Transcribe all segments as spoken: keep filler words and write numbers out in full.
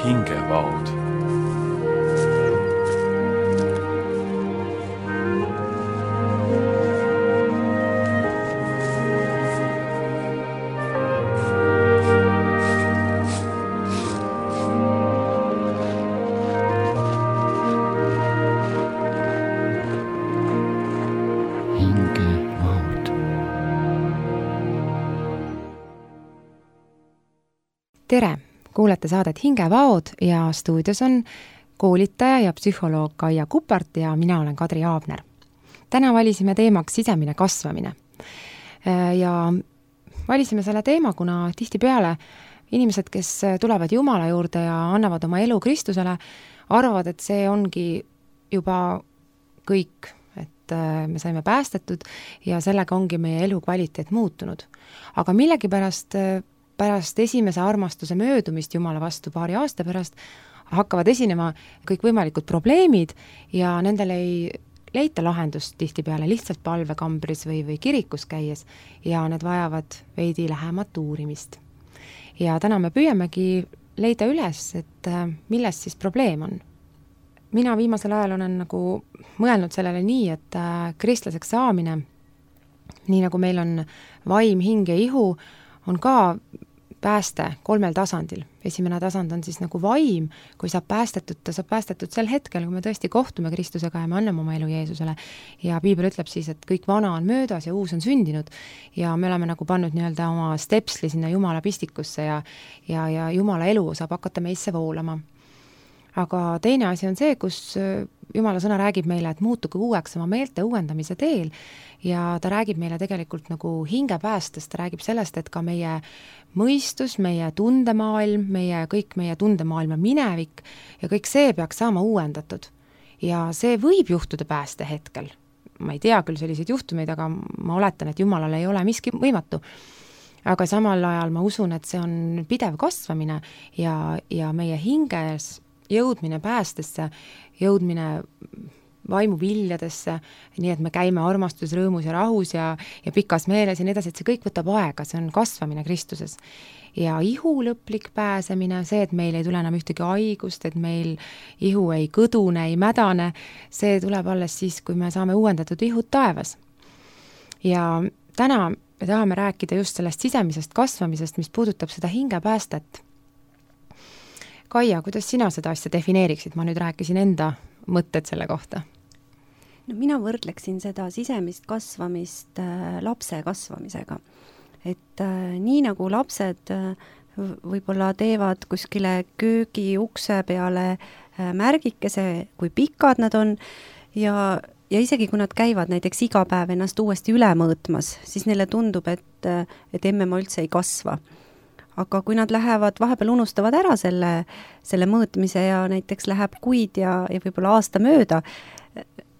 hingevaod. Tere! Kuulete saadet Hingevaod ja stuudios on koolitaja ja psühholoog Kaia Kupart ja mina olen Kadri Aabner. Täna valisime teemaks sisemine kasvamine. Ja valisime selle teema, kuna tihtipeale inimesed, kes tulevad Jumala juurde ja annavad oma elu Kristusele, arvavad, et see ongi juba kõik, et me saime päästetud ja sellega ongi meie elu kvaliteet muutunud. Aga millegipärast pärast esimese armastuse möödumist Jumala vastu paari aasta pärast hakkavad esinema kõik võimalikud probleemid ja nendele ei leita lahendust tihtipeale lihtsalt palvekambris või, või kirikus käies ja need vajavad veidi lähemat uurimist. Ja täna me püüamegi leida üles, et milles siis probleem on. Mina viimasel ajal olen nagu mõelnud sellele nii, et kristlaseks saamine, nii nagu meil on vaim, hing ja ihu, on ka pääste kolmel tasandil. Esimene tasand on siis nagu vaim, kui saab päästetud, ta saab päästetud sel hetkel, kui me tõesti kohtume Kristusega ja me anname oma elu Jeesusele. Ja Piibel ütleb siis, et kõik vana on möödas ja uus on sündinud ja me oleme nagu pannud nii-öelda oma stepsli sinna Jumala pistikusse ja, ja, ja Jumala elu saab hakata meisse voolama. Aga teine asi on see, kus Jumala sõna räägib meile, et muutuge uueks oma meelte uuendamise teel ja ta räägib meile tegelikult nagu hingepäästest, ta räägib sellest, et ka meie mõistus, meie tundemaailm, meie, kõik meie tundemaailma minevik ja kõik see peaks saama uuendatud. Ja see võib juhtuda pääste hetkel. Ma ei tea küll selliseid juhtumeid, aga ma oletan, et Jumalal ei ole miski võimatu. Aga samal ajal ma usun, et see on pidev kasvamine ja, ja meie hinges jõudmine päästesse, jõudmine vaimuviljadesse, nii et me käime armastus, rõõmus ja rahus ja, ja pikas meeles ja nii edasi, et see kõik võtab aega, see on kasvamine Kristuses. Ja ihu lõplik pääsemine, see, et meil ei tule enam ühtegi haigust, et meil ihu ei kõdune, ei mädane, see tuleb alles siis, kui me saame uuendatud ihud taevas. Ja täna me tahame rääkida just sellest sisemisest kasvamisest, mis puudutab seda hingepäästet. Kaia, kuidas sina seda asja defineeriksid? Ma nüüd rääkisin enda mõtted selle kohta. No, mina võrdleksin seda sisemist kasvamist äh, lapse kasvamisega. Et äh, nii nagu lapsed äh, võib-olla teevad kuskile köögi ukse peale äh, märgikese, kui pikad nad on ja, ja isegi kui nad käivad näiteks iga päev ennast uuesti üle mõõtmas, siis neile tundub, et, et emme ma üldse ei kasva. Aga kui nad lähevad, vahepeal unustavad ära selle, selle mõõtmise ja näiteks läheb kuid ja, ja võib-olla aasta mööda,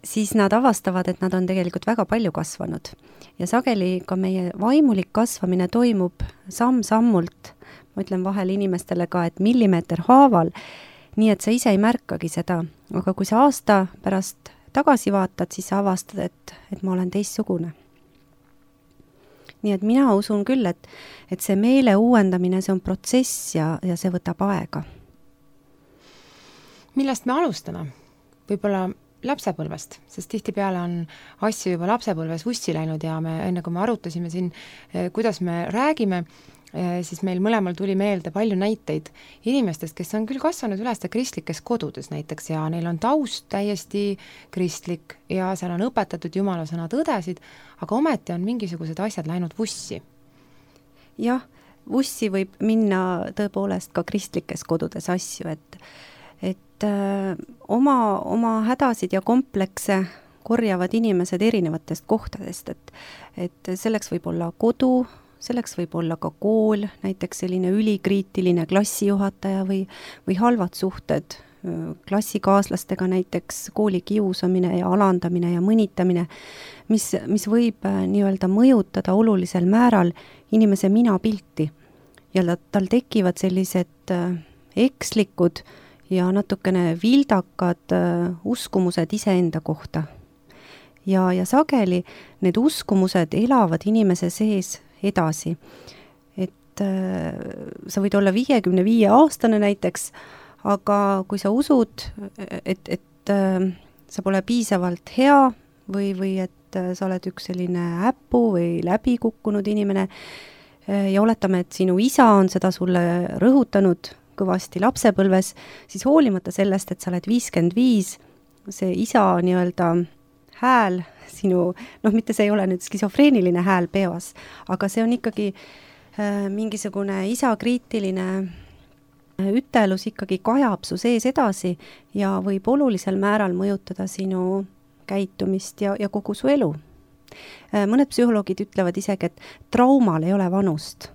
siis nad avastavad, et nad on tegelikult väga palju kasvanud. Ja sageli ka meie vaimulik kasvamine toimub samm-sammult, ma ütlen vahel inimestele ka, et millimeeter haaval, nii et sa ise ei märkagi seda. Aga kui sa aasta pärast tagasi vaatad, siis sa avastad, et, et ma olen teistsugune. Nii et mina usun küll, et, et see meele uuendamine, see on protsess ja, ja see võtab aega. Millest me alustame? Võib-olla lapsepõlvest, sest tihtipeale on asju juba lapsepõlves vussi läinud ja me, enne kui me arutasime siin, kuidas me räägime, siis meil mõlemal tuli meelde palju näiteid inimestest, kes on küll kasvanud üles kristlikes kodudes näiteks ja neil on taust täiesti kristlik ja seal on õpetatud Jumala sõna tõdesid, aga ometi on mingisugused asjad läinud vussi. Jah, vussi võib minna tõepoolest ka kristlikes kodudes asju, et, et öö, oma, oma hädasid ja komplekse korjavad inimesed erinevatest kohtadest, et, et selleks võib olla kodu, selleks võib olla ka kool, näiteks selline ülikriitiline klassijuhataja või, või halvad suhted klassikaaslastega, näiteks kooli kiusamine ja alandamine ja mõnitamine, mis, mis võib nii-öelda mõjutada olulisel määral inimese minapilti. Ja tal tekivad sellised ekslikud ja natukene vildakad uskumused iseenda kohta. Ja, ja sageli need uskumused elavad inimese sees edasi. Et äh, sa võid olla viiekümne viie aastane näiteks, aga kui sa usud, et, et äh, sa pole piisavalt hea või, või et äh, sa oled üks selline äppu või läbikukkunud inimene äh, ja oletame, et sinu isa on seda sulle rõhutanud kõvasti lapsepõlves, siis hoolimata sellest, et sa oled viiskümmend viis, see isa nii-öelda hääl sinu, noh, mitte see ei ole nüüd skisofreeniline hääl peos, aga see on ikkagi äh, mingisugune isakriitiline ütelus ikkagi kajab su sees edasi ja võib olulisel määral mõjutada sinu käitumist ja, ja kogu su elu. Mõned psühholoogid ütlevad isegi, et traumal ei ole vanust.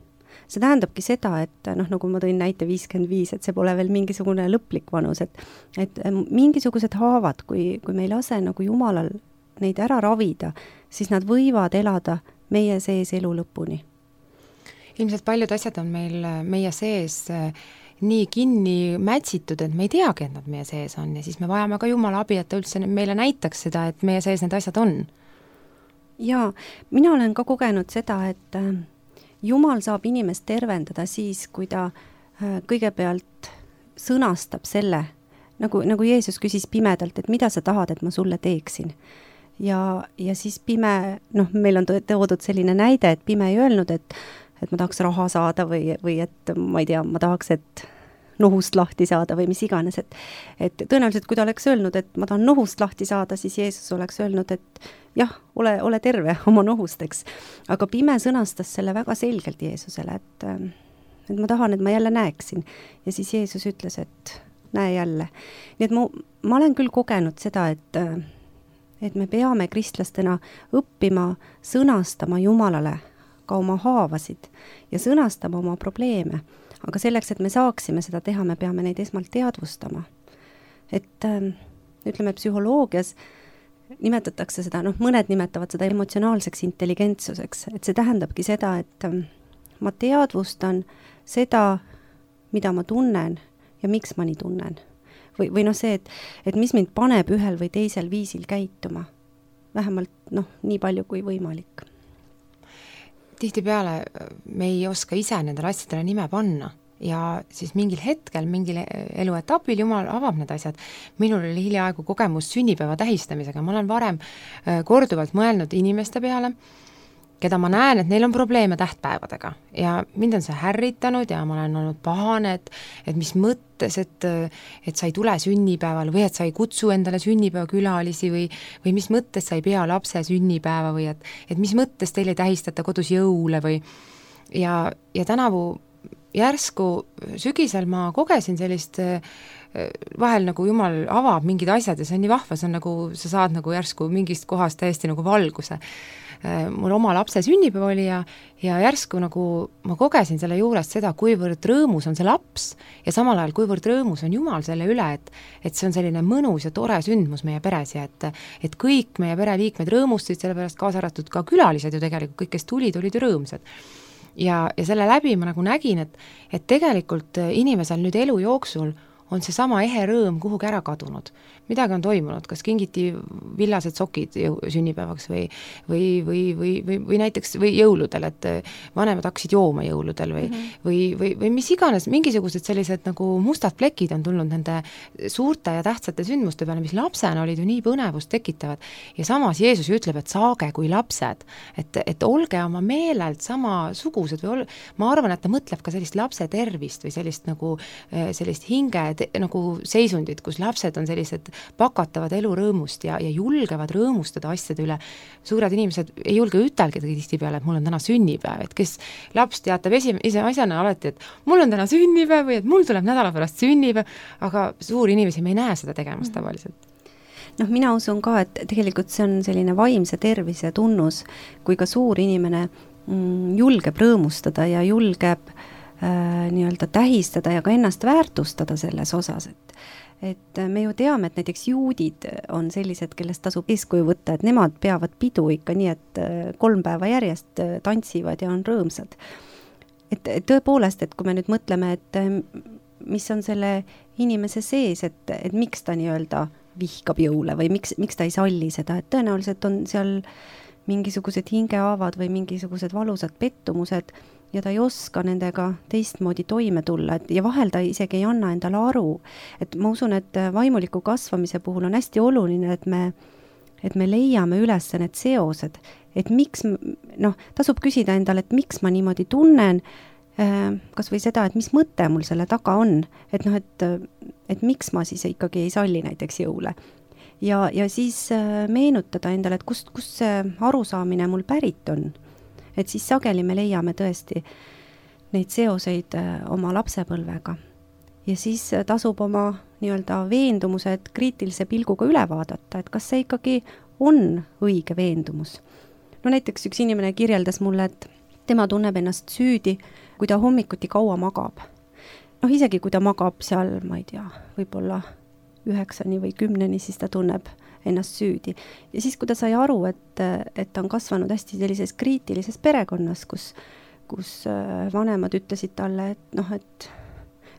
See tähendabki seda, et noh, nagu ma tõin näite viiskümmend viis, et see pole veel mingisugune lõplik vanus, et, et mingisugused haavad, kui, kui me ei lase nagu Jumalal neid ära ravida, siis nad võivad elada meie sees elu lõpuni. Ilmselt paljud asjad on meil meie sees nii kinni mätsitud, et me ei teagi, et nad meie sees on ja siis me vajame ka Jumala abi, et ta üldse meile näitaks seda, et meie sees need asjad on. Jaa, mina olen ka kogenud seda, et Jumal saab inimest tervendada siis, kui ta kõigepealt sõnastab selle, nagu, nagu Jeesus küsis pimedalt, et mida sa tahad, et ma sulle teeksin. Ja, ja siis pime, noh, meil on toodud selline näide, et pime ei öelnud, et et ma tahaks raha saada või, või et ma ei tea, ma tahaks, et nohust lahti saada või mis iganes, et, et tõenäoliselt, kui ta oleks öelnud, et ma tahan nohust lahti saada, siis Jeesus oleks öelnud, et jah, ole, ole terve oma nohusteks. Aga pime sõnastas selle väga selgelt Jeesusele, et, et ma tahan, et ma jälle näeksin. Ja siis Jeesus ütles, et näe jälle. Nii et ma, ma olen küll kogenud seda, et, et me peame kristlastena õppima sõnastama Jumalale ka oma haavasid ja sõnastama oma probleeme. Aga selleks, et me saaksime seda teha, me peame neid esmalt teadvustama. Et ütleme, psühholoogias nimetatakse seda, noh, mõned nimetavad seda emotsionaalseks intelligentsuseks, et see tähendabki seda, et ma teadvustan seda, mida ma tunnen ja miks ma nii tunnen. Või, või noh see, et, et mis mind paneb ühel või teisel viisil käituma. Vähemalt, noh, nii palju kui võimalik. Tihtipeale me ei oska ise nendele asjadele nime panna ja siis mingil hetkel, mingil eluetapil Jumal avab need asjad. Minul oli hiljaaegu kogemus sünnipäeva tähistamisega. Ma olen varem korduvalt mõelnud inimeste peale, keda ma näen, et neil on probleeme tähtpäevadega ja mind on see härritanud ja ma olen olnud pahane, et, et mis mõttes, et, et sa ei tule sünnipäeval või et sa ei kutsu endale sünnipäeva külalisi või, või mis mõttes sa ei pea lapse sünnipäeva või et, et mis mõttes teil ei tähistata kodus jõule või ja, ja tänavu järsku sügisel ma kogesin sellist vahel nagu Jumal avab mingid asjad ja see on nii vahva, see on nagu, sa saad nagu järsku mingist kohast täiesti nagu valguse. Mul oma lapse sünnipäev oli ja, ja järsku nagu ma kogesin selle juurest seda, kuivõrd rõõmus on see laps ja samal ajal kuivõrd rõõmus on Jumal selle üle, et, et see on selline mõnus ja tore sündmus meie peres ja et, et kõik meie pereliikmed rõõmustasid, sellepärast kaasa arvatud ka külalised ju tegelikult, kõik, kes tulid, olid ju rõõmsad. Ja, ja selle läbi ma nagu nägin, et, et tegelikult inimesel nüüd elu jooksul on see sama ehe rõõm kuhugi ära kadunud. Midagi on toimunud, kas kingiti villased sokid sünnipäevaks või, või, või, või, või, või näiteks või jõuludel, et vanemad hakkasid jooma jõuludel või, mm -hmm. või, või, või mis iganes, mingisugused sellised nagu mustad plekid on tulnud nende suurte ja tähtsate sündmuste peale, mis lapsena olid ju nii põnevust tekitavad. Ja samas Jeesus ütleb, et saage kui lapsed, et, et olge oma meelelt samasugused või ol... ma arvan, et ta mõtleb ka sellist lapse tervist või sellist nagu sellist hinge te, nagu seisundit, kus lapsed on sellised pakatavad elurõõmust ja, ja julgevad rõõmustada asjade üle. Suured inimesed ei julge ütelgi tihtipeale, et mul on täna sünnipäev, et kes laps teatab esi, ise asjana alati, et mul on täna sünnipäev või et mul tuleb nädala pärast sünnipäev, aga suuri inimesi me ei näe seda tegemas tavaliselt. Noh, mina usun ka, et tegelikult see on selline vaimse tervise tunnus, kui ka suur inimene mm, julgeb rõõmustada ja julgeb äh, nii-öelda tähistada ja ka ennast väärtustada selles osas, et et me ju teame, et näiteks juudid on sellised, kellest tasub eeskuju võtta, et nemad peavad pidu ikka nii, et kolm päeva järjest tantsivad ja on rõõmsad. Et, et tõepoolest, et kui me nüüd mõtleme, et mis on selle inimese sees, et, et miks ta nii-öelda vihkab jõule või miks, miks ta ei salli seda, et tõenäoliselt on seal mingisugused hingehaavad või mingisugused valusad pettumused ja ta ei oska nendega teistmoodi toime tulla, et ja vahel ta isegi ei anna endale aru. Et ma usun, et vaimuliku kasvamise puhul on hästi oluline, et me, et me leiame üles need seosed, et miks, noh, tasub küsida endale, et miks ma niimoodi tunnen, kas või seda, et mis mõte mul selle taga on, et noh, et, et miks ma siis ikkagi ei salli näiteks jõule. Ja, ja siis meenutada endale, et kust, kust see arusaamine mul pärit on. Et siis sageli me leiame tõesti neid seoseid oma lapsepõlvega. Ja siis tasub oma nii-öelda veendumused kriitilise pilguga üle vaadata, et kas see ikkagi on õige veendumus. No näiteks üks inimene kirjeldas mulle, et tema tunneb ennast süüdi, kui ta hommikuti kaua magab. Noh, isegi kui ta magab seal, ma ei tea, võib-olla üheksani või kümneni, siis ta tunneb ennast süüdi. Ja siis, kui ta sai aru, et, et ta on kasvanud hästi sellises kriitilises perekonnas, kus, kus vanemad ütlesid talle, et noh, et,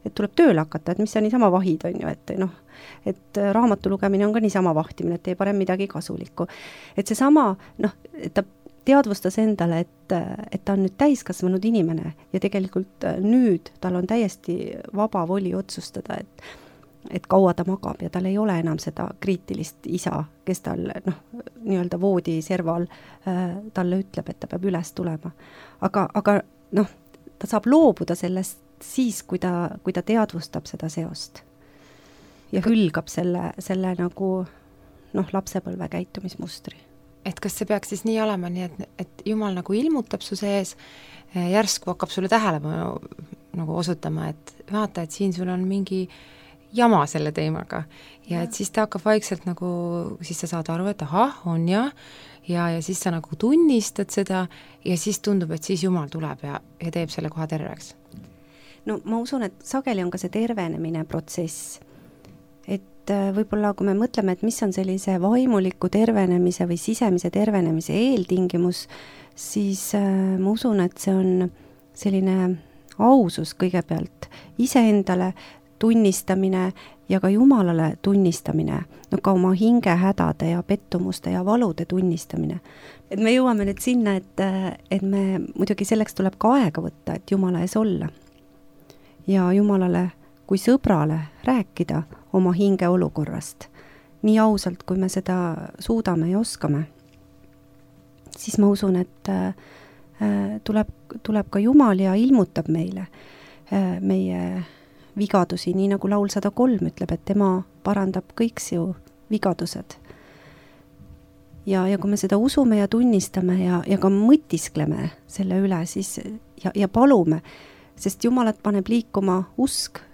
et tuleb tööle hakata, et mis sa niisama vahid on ju, et noh, et raamatu lugemine on ka niisama vahtimine, et tee parem midagi kasulikku. Et see sama, noh, et ta teadvustas endale, et, et ta on nüüd täiskasvanud inimene ja tegelikult nüüd tal on täiesti vaba voli otsustada, et, et kaua ta magab ja tal ei ole enam seda kriitilist isa, kes tal noh, nii-öelda voodi serval äh, talle ütleb, et ta peab üles tulema. Aga, aga noh, ta saab loobuda sellest siis, kui ta, kui ta teadvustab seda seost ja hülgab selle, selle nagu noh, lapsepõlve käitumismustri. Et kas see peaks siis nii olema, nii et, et Jumal nagu ilmutab su sees, järsku hakkab sulle tähelepanu nagu osutama, et vaata, et siin sul on mingi jama selle teemaga ja, ja. Et siis ta hakkab vaikselt nagu, siis sa saad aru, et ahah, on ja, ja, ja siis sa nagu tunnistad seda ja siis tundub, et siis Jumal tuleb ja, ja teeb selle koha terveks. No ma usun, et sageli on ka see tervenemine protsess. Et võib-olla kui me mõtleme, et mis on sellise vaimuliku tervenemise või sisemise tervenemise eeltingimus, siis äh, ma usun, et see on selline ausus kõigepealt, iseendale tunnistamine ja ka Jumalale tunnistamine, no ka oma hinge hädade ja pettumuste ja valude tunnistamine. Et me jõuame nüüd sinna, et, et me muidugi selleks tuleb ka aega võtta, et Jumala ees olla. Ja Jumalale kui sõbrale rääkida oma hinge olukorrast, nii ausalt, kui me seda suudame ja oskame, siis ma usun, et äh, tuleb, tuleb ka Jumal ja ilmutab meile äh, meie vigadusi, nii nagu laul sada kolm ütleb, et tema parandab kõik su vigadused. Ja, ja kui me seda usume ja tunnistame ja, ja ka mõtiskleme selle üle, siis ja, ja palume, sest Jumalat paneb liikuma usk,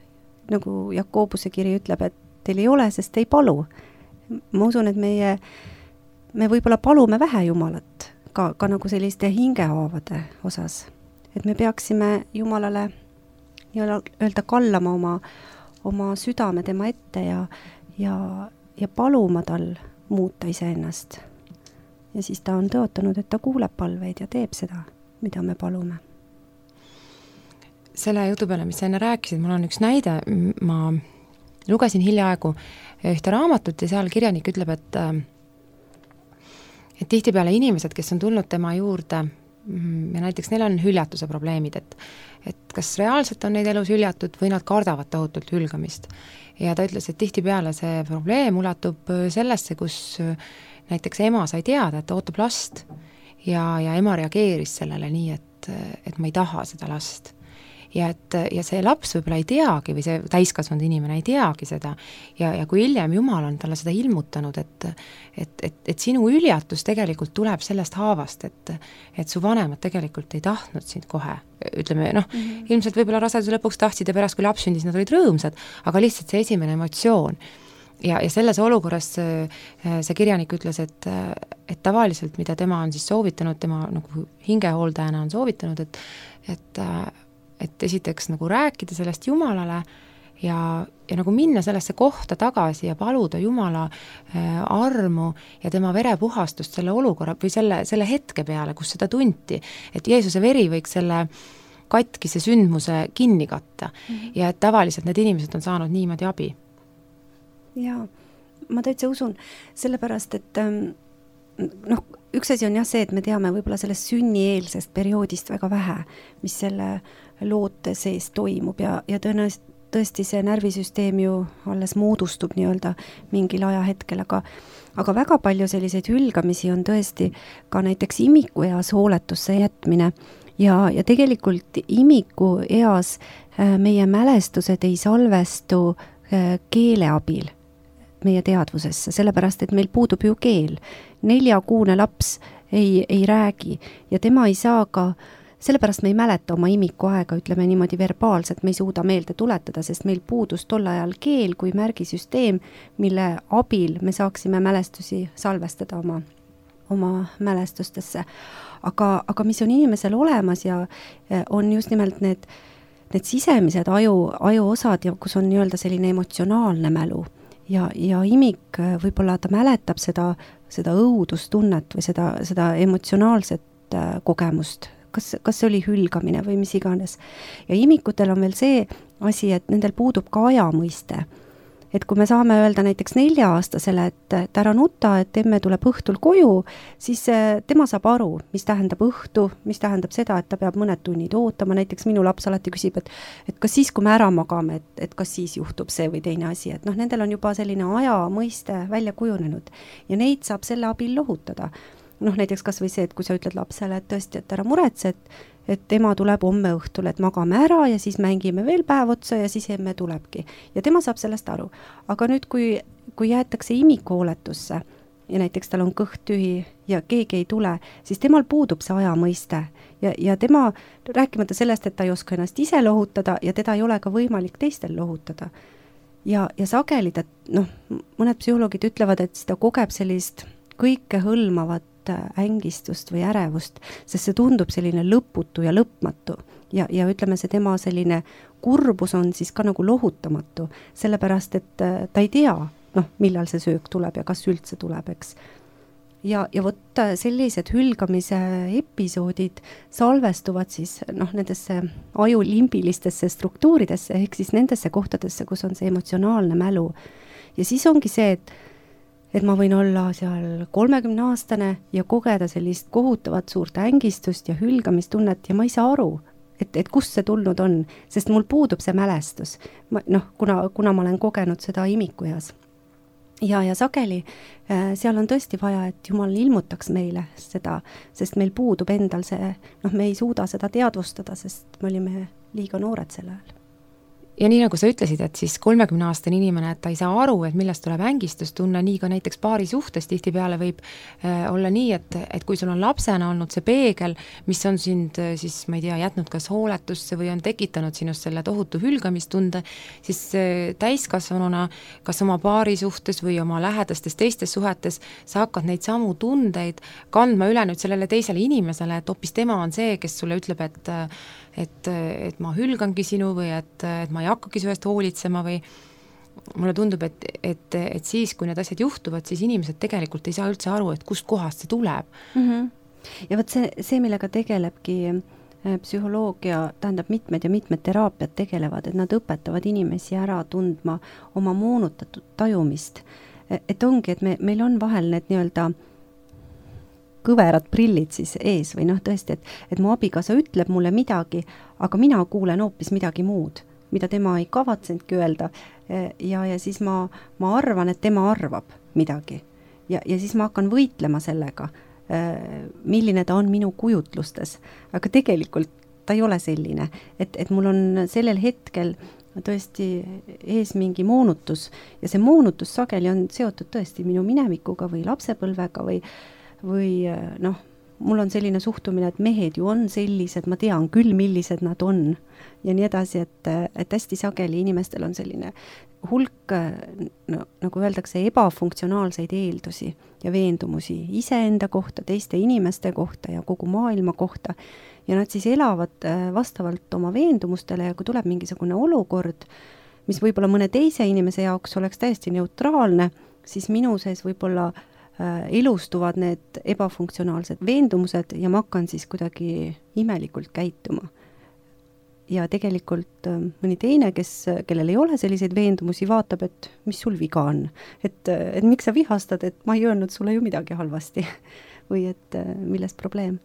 nagu Jakobuse kiri ütleb, et teil ei ole, sest ei palu. Ma usun, et meie, me võib-olla palume vähe Jumalat, ka, ka nagu selliste hingehaavade osas. Et me peaksime Jumalale öelda kallama oma, oma südame tema ette ja, ja, ja paluma tal muuta iseennast. Ja siis ta on tõotanud, et ta kuuleb palveid ja teeb seda, mida me palume. Selle jutu peale, mis sa enne rääkisid, mul on üks näide, ma lugesin hiljaaegu ühte raamatut ja seal kirjanik ütleb, et et tihtipeale inimesed, kes on tulnud tema juurde ja näiteks neil on hüljatuse probleemid, et, et kas reaalselt on neid elus hüljatud või nad kardavad tohutult hülgamist. Ja ta ütles, et tihtipeale see probleem ulatub sellesse, kus näiteks ema sai teada, et ta ootab last ja, ja ema reageeris sellele nii, et, et ma ei taha seda last. Ja, et, ja see laps võib-olla ei teagi või see täiskasvanud inimene ei teagi seda ja, ja kui hiljem Jumal on talle seda ilmutanud, et, et, et, et sinu hüljatus tegelikult tuleb sellest haavast, et, et su vanemad tegelikult ei tahtnud sind kohe, ütleme noh, mm-hmm. ilmselt võib-olla raseduse lõpuks tahtsid ja pärast kui laps sündis, nad olid rõõmsad, aga lihtsalt see esimene emotsioon ja, ja selles olukorras see kirjanik ütles, et, et tavaliselt, mida tema on siis soovitanud, tema nagu hingehooldajana on soovitanud, et, et et esiteks nagu rääkida sellest Jumalale ja, ja nagu minna sellesse kohta tagasi ja paluda Jumala äh, armu ja tema verepuhastust selle olukorra või selle, selle hetke peale, kus seda tunti, et Jeesuse veri võiks selle katkise sündmuse kinni katta mm-hmm. ja et tavaliselt need inimesed on saanud niimoodi abi. Jaa, ma täitsa usun, sellepärast, et ähm, noh, üks asi on jah see, et me teame võib-olla sellest sünnieelsest perioodist väga vähe, mis selle loote sees toimub ja, ja tõenäoliselt tõesti see närvisüsteem ju alles moodustub nii-öelda mingil ajahetkel, aga aga väga palju selliseid hülgamisi on tõesti ka näiteks imikueas hooletusse jätmine ja, ja tegelikult imikueas meie mälestused ei salvestu keele abil meie teadvusesse, sellepärast et meil puudub ju keel. Neljakuune laps ei, ei räägi ja tema ei saa ka, sellepärast me ei mäleta oma imikuaega, ütleme niimoodi verbaalselt, me ei suuda meelde tuletada, sest meil puudus tol ajal keel kui märgisüsteem, mille abil me saaksime mälestusi salvestada oma, oma mälestustesse. Aga, aga mis on inimesel olemas ja on just nimelt need, need sisemised aju, aju osad, ja kus on nii-öelda selline emotsionaalne mälu. Ja, ja imik võib-olla ta mäletab seda, seda õudustunnet või seda, seda emotsionaalset kogemust, kas, kas see oli hülgamine või mis iganes. Ja imikutel on veel see asi, et nendel puudub ka ajamõiste. Et kui me saame öelda näiteks nelja-aastasele, et, et ära nuta, et emme tuleb õhtul koju, siis tema saab aru, mis tähendab õhtu, mis tähendab seda, et ta peab mõned tunnid ootama. Näiteks minu laps alati küsib, et, et kas siis, kui me ära magame, et, et kas siis juhtub see või teine asi. Et noh, nendel on juba selline aja mõiste välja kujunenud ja neid saab selle abil lohutada. Noh, näiteks kas või see, et kui sa ütled lapsele, et tõesti, et ära muretse, et, et ema tuleb homme õhtul, et magame ära ja siis mängime veel päev otsa ja siis emme tulebki. Ja tema saab sellest aru. Aga nüüd, kui, kui jäetakse imikuhooletusse ja näiteks tal on kõht tühi ja keegi ei tule, siis temal puudub see aja mõiste. Ja, ja tema, rääkimata sellest, et ta ei oska ennast ise lohutada ja teda ei ole ka võimalik teistel lohutada. Ja, ja sageli, ta, noh, mõned psühholoogid ütlevad, et ta kogeb sellist kõike hõlmavat ängistust või ärevust, sest see tundub selline lõputu ja lõpmatu ja, ja ütleme, see tema selline kurbus on siis ka nagu lohutamatu, sellepärast, et ta ei tea, noh, millal see söök tuleb ja kas üldse tuleb, eks. Ja, ja võtta sellised hülgamise episoodid salvestuvad siis noh, nendesse aju limbilistesse struktuuridesse, ehk siis nendesse kohtadesse, kus on see emotsionaalne mälu. Ja siis ongi see, et et ma võin olla seal kolmekümne aastane ja kogeda sellist kohutavat suurt ängistust ja hülgamistunnet ja ma ei saa aru, et, et kust see tulnud on, sest mul puudub see mälestus, ma, noh, kuna, kuna ma olen kogenud seda imikueas. Ja, ja sageli äh, seal on tõesti vaja, et Jumal ilmutaks meile seda, sest meil puudub endal see, noh, me ei suuda seda teadvustada, sest me olime liiga noored selle ajal. Ja nii nagu sa ütlesid, et siis kolmekümne aastane inimene, et ta ei saa aru, et millest tuleb ängistustunne, nii ka näiteks paari suhtes tihtipeale võib äh, olla nii, et, et kui sul on lapsena olnud see peegel, mis on sind äh, siis, ma ei tea, jätnud kas hooletusse või on tekitanud sinust selle tohutu hülgamistunde, siis äh, täiskasvanuna kas oma paari suhtes või oma lähedastes teistes suhetes sa hakkad neid samu tundeid kandma üle nüüd sellele teisele inimesele, et hoopis tema on see, kes sulle ütleb, et et, et ma hülgangi sinu või et, et ma ei hakkagi su eest hoolitsema või mulle tundub, et, et, et siis, kui need asjad juhtuvad, siis inimesed tegelikult ei saa üldse aru, et kust kohast see tuleb. Mm-hmm. Ja võt see, see, millega tegelebki psühholoogia, tähendab mitmed ja mitmed teraapiad tegelevad, et nad õpetavad inimesi ära tundma oma moonutatud tajumist. Et ongi, et me, meil on vahel need nii-öelda kõverad prillid siis ees või noh tõesti, et, et mu abikaasa ütleb mulle midagi, aga mina kuulen hoopis midagi muud, mida tema ei kavatsenudki öelda ja, ja siis ma, ma arvan, et tema arvab midagi ja, ja siis ma hakkan võitlema sellega, milline ta on minu kujutlustes, aga tegelikult ta ei ole selline, et, et mul on sellel hetkel tõesti ees mingi moonutus ja see moonutus sageli on seotud tõesti minu minevikuga või lapsepõlvega või või noh, mul on selline suhtumine, et mehed ju on sellised, ma tean küll, millised nad on ja nii edasi, et, et hästi sageli inimestel on selline hulk, no, nagu öeldakse, ebafunktsionaalseid eeldusi ja veendumusi iseenda kohta, teiste inimeste kohta ja kogu maailma kohta ja nad siis elavad vastavalt oma veendumustele ja kui tuleb mingisugune olukord, mis võib-olla mõne teise inimese jaoks oleks täiesti neutraalne, siis minu sees võib-olla ilustuvad need ebafunktsionaalsed veendumused ja ma hakkan siis kuidagi imelikult käituma. Ja tegelikult mõni teine, kes, kellel ei ole selliseid veendumusi, vaatab, et mis sul viga on. Et, et miks sa vihastad, et ma ei öelnud sulle ju midagi halvasti. või et milles probleem.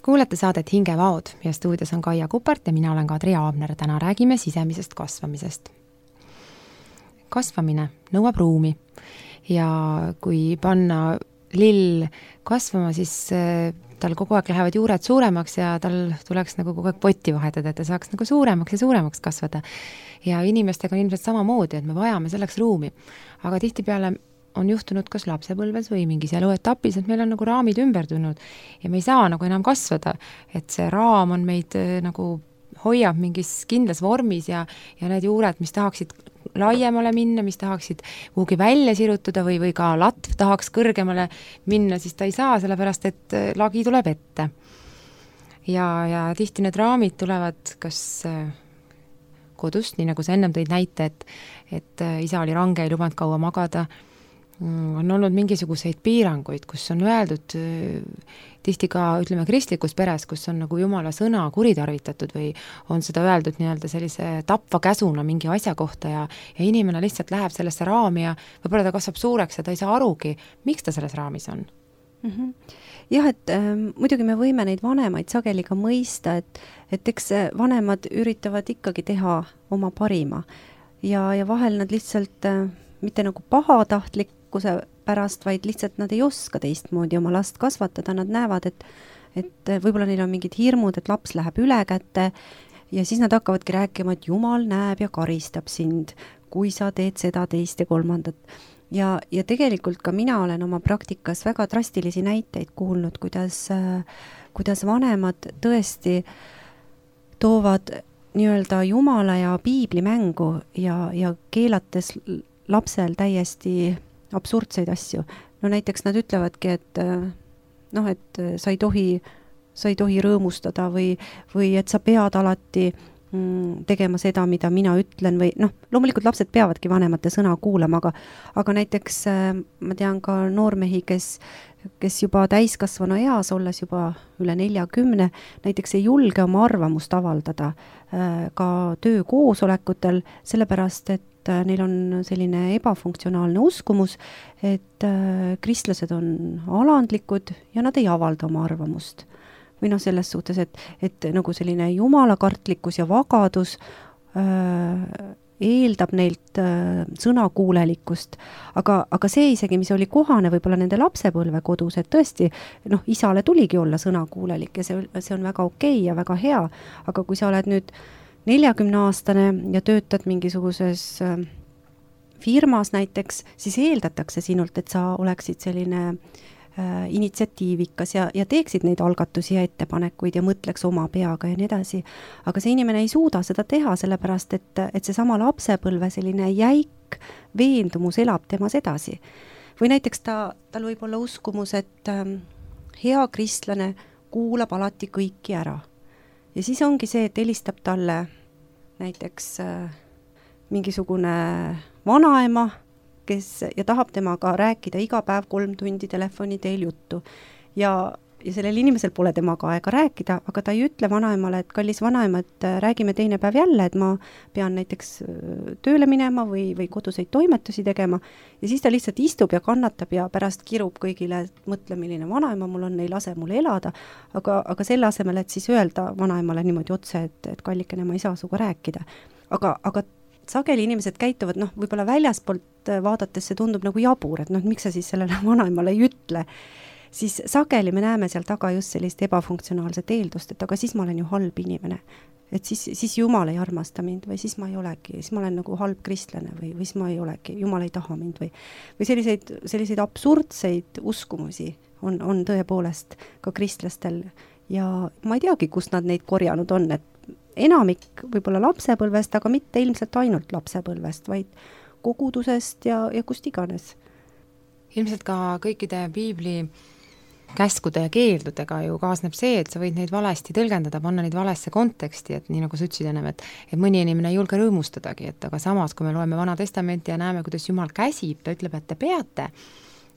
Kuulete saadet Hingevaod ja stuudios on Kaia Kupart ja mina olen Kadri Aabner. Täna räägime sisemisest kasvamisest. Kasvamine nõuab ruumi ja kui panna lill kasvama, siis tal kogu aeg lähevad juured suuremaks ja tal tuleks nagu kogu aeg potti vahetada, et ta saaks nagu suuremaks ja suuremaks kasvada. Ja inimestega on ilmselt samamoodi, et me vajame selleks ruumi. Aga tihtipeale on juhtunud kas lapsepõlves või mingis eluetapis, et meil on nagu raamid ümber tulnud ja me ei saa nagu enam kasvada, et see raam on meid nagu hoiab mingis kindlas vormis ja, ja need juured, mis tahaksid laiemale minna, mis tahaksid kuhugi välja sirutuda või, või ka latv tahaks kõrgemale minna, siis ta ei saa, sellepärast et lagi tuleb ette. Ja, ja tihti need raamid tulevad kas kodust, nii nagu sa ennem tõid näite, et, et isa oli range, ei lubanud kaua magada, on olnud mingisuguseid piiranguid, kus on öeldud tihti ka, ütleme, kristlikus peres, kus on nagu Jumala sõna kuritarvitatud või on seda öeldud nii-öelda sellise tapva käsuna mingi asja kohta ja, ja inimene lihtsalt läheb sellesse raami ja võib-olla ta kasvab suureks ja ta ei saa arugi, miks ta selles raamis on. Mm-hmm. Jah, et äh, muidugi me võime neid vanemaid sageli ka mõista, et, et eks vanemad üritavad ikkagi teha oma parima ja, ja vahel nad lihtsalt äh, mitte nagu pahatahtlik pärast, vaid lihtsalt nad ei oska teistmoodi oma last kasvatada, nad näevad, et, et võib-olla neil on mingid hirmud, et laps läheb üle kätte ja siis nad hakkavadki rääkima, et Jumal näeb ja karistab sind, kui sa teed seda, teist ja kolmandat. Ja, ja tegelikult ka mina olen oma praktikas väga drastilisi näiteid kuulnud, kuidas, kuidas vanemad tõesti toovad nii-öelda Jumala ja piibli mängu ja, ja keelates lapsel täiesti absurdseid asju. No näiteks nad ütlevadki, et noh, et sa ei tohi, sa ei tohi rõõmustada või, või et sa pead alati mm, tegema seda, mida mina ütlen või noh, loomulikult lapsed peavadki vanemate sõna kuulama, aga, aga näiteks ma tean ka noormehi, kes, kes juba täiskasvanu eas, olles juba üle neljakümne, näiteks ei julge oma arvamust avaldada äh, ka töökoosolekutel, sellepärast, et et neil on selline ebafunktsionaalne uskumus, et kristlased on alandlikud ja nad ei avalda oma arvamust. Või noh, selles suhtes, et, et nagu selline jumalakartlikkus ja vagadus äh, eeldab neilt äh, sõnakuulelikkust, aga, aga see isegi, mis oli kohane võib-olla nende lapsepõlve kodus, et tõesti, noh, isale tuligi olla sõnakuulelik ja see, see on väga okei ja väga hea, aga kui sa oled nüüd neljakümne-aastane ja töötad mingisuguses äh, firmas näiteks, siis eeldatakse sinult, et sa oleksid selline äh, initsiatiivikas ja, ja teeksid neid algatusi ja ettepanekuid ja mõtleks oma peaga ja nii edasi. Aga see inimene ei suuda seda teha, sellepärast et, et see sama lapsepõlve selline jäik veendumus elab temas edasi. Või näiteks ta, tal võib olla uskumus, et äh, hea kristlane kuulab alati kõiki ära. Ja siis ongi see, et helistab talle näiteks äh, mingisugune vanaema, kes ja tahab temaga rääkida iga päev kolm tundi telefoni teel juttu. Ja, ja sellel inimesel pole temaga aega rääkida, aga ta ei ütle vanaemale, et kallis vanaema, et räägime teine päev jälle, et ma pean näiteks tööle minema või, või koduseid toimetusi tegema. Ja siis ta lihtsalt istub ja kannatab ja pärast kirub kõigile, et mõtle, milline vanaema mul on, ei lase mul elada. Aga, aga selle asemel, et siis öelda vanaemale niimoodi otse, et, et kallikene, ma ei saa suga rääkida. Aga, aga sageli inimesed käituvad, noh, võib-olla väljaspoolt vaadates see tundub nagu jabur, et noh, miks sa siis sellele vanaemale ei ütle, siis sageli me näeme seal taga just sellist ebafunktsionaalset eeldust, et aga siis ma olen ju halb inimene, et siis, siis Jumal ei armasta mind või siis ma ei olegi, siis ma olen nagu halb kristlane või, või siis ma ei olegi, Jumal ei taha mind või, või selliseid, selliseid absurdseid uskumusi on, on tõepoolest ka kristlastel ja ma ei teagi, kust nad neid korjanud on, et enamik võib-olla lapsepõlvest, aga mitte ilmselt ainult lapsepõlvest, vaid kogudusest ja, ja kust iganes. Ilmselt ka kõikide piibli käskude ja keeldudega ju kaasneb see, et sa võid neid valesti tõlgendada, panna neid valesse konteksti, et nii nagu sa ütlesid ennem, et, et mõni inimene ei julge rõõmustadagi, et aga samas, kui me loeme Vana Testamenti ja näeme, kuidas Jumal käsib, ta ütleb, et te peate.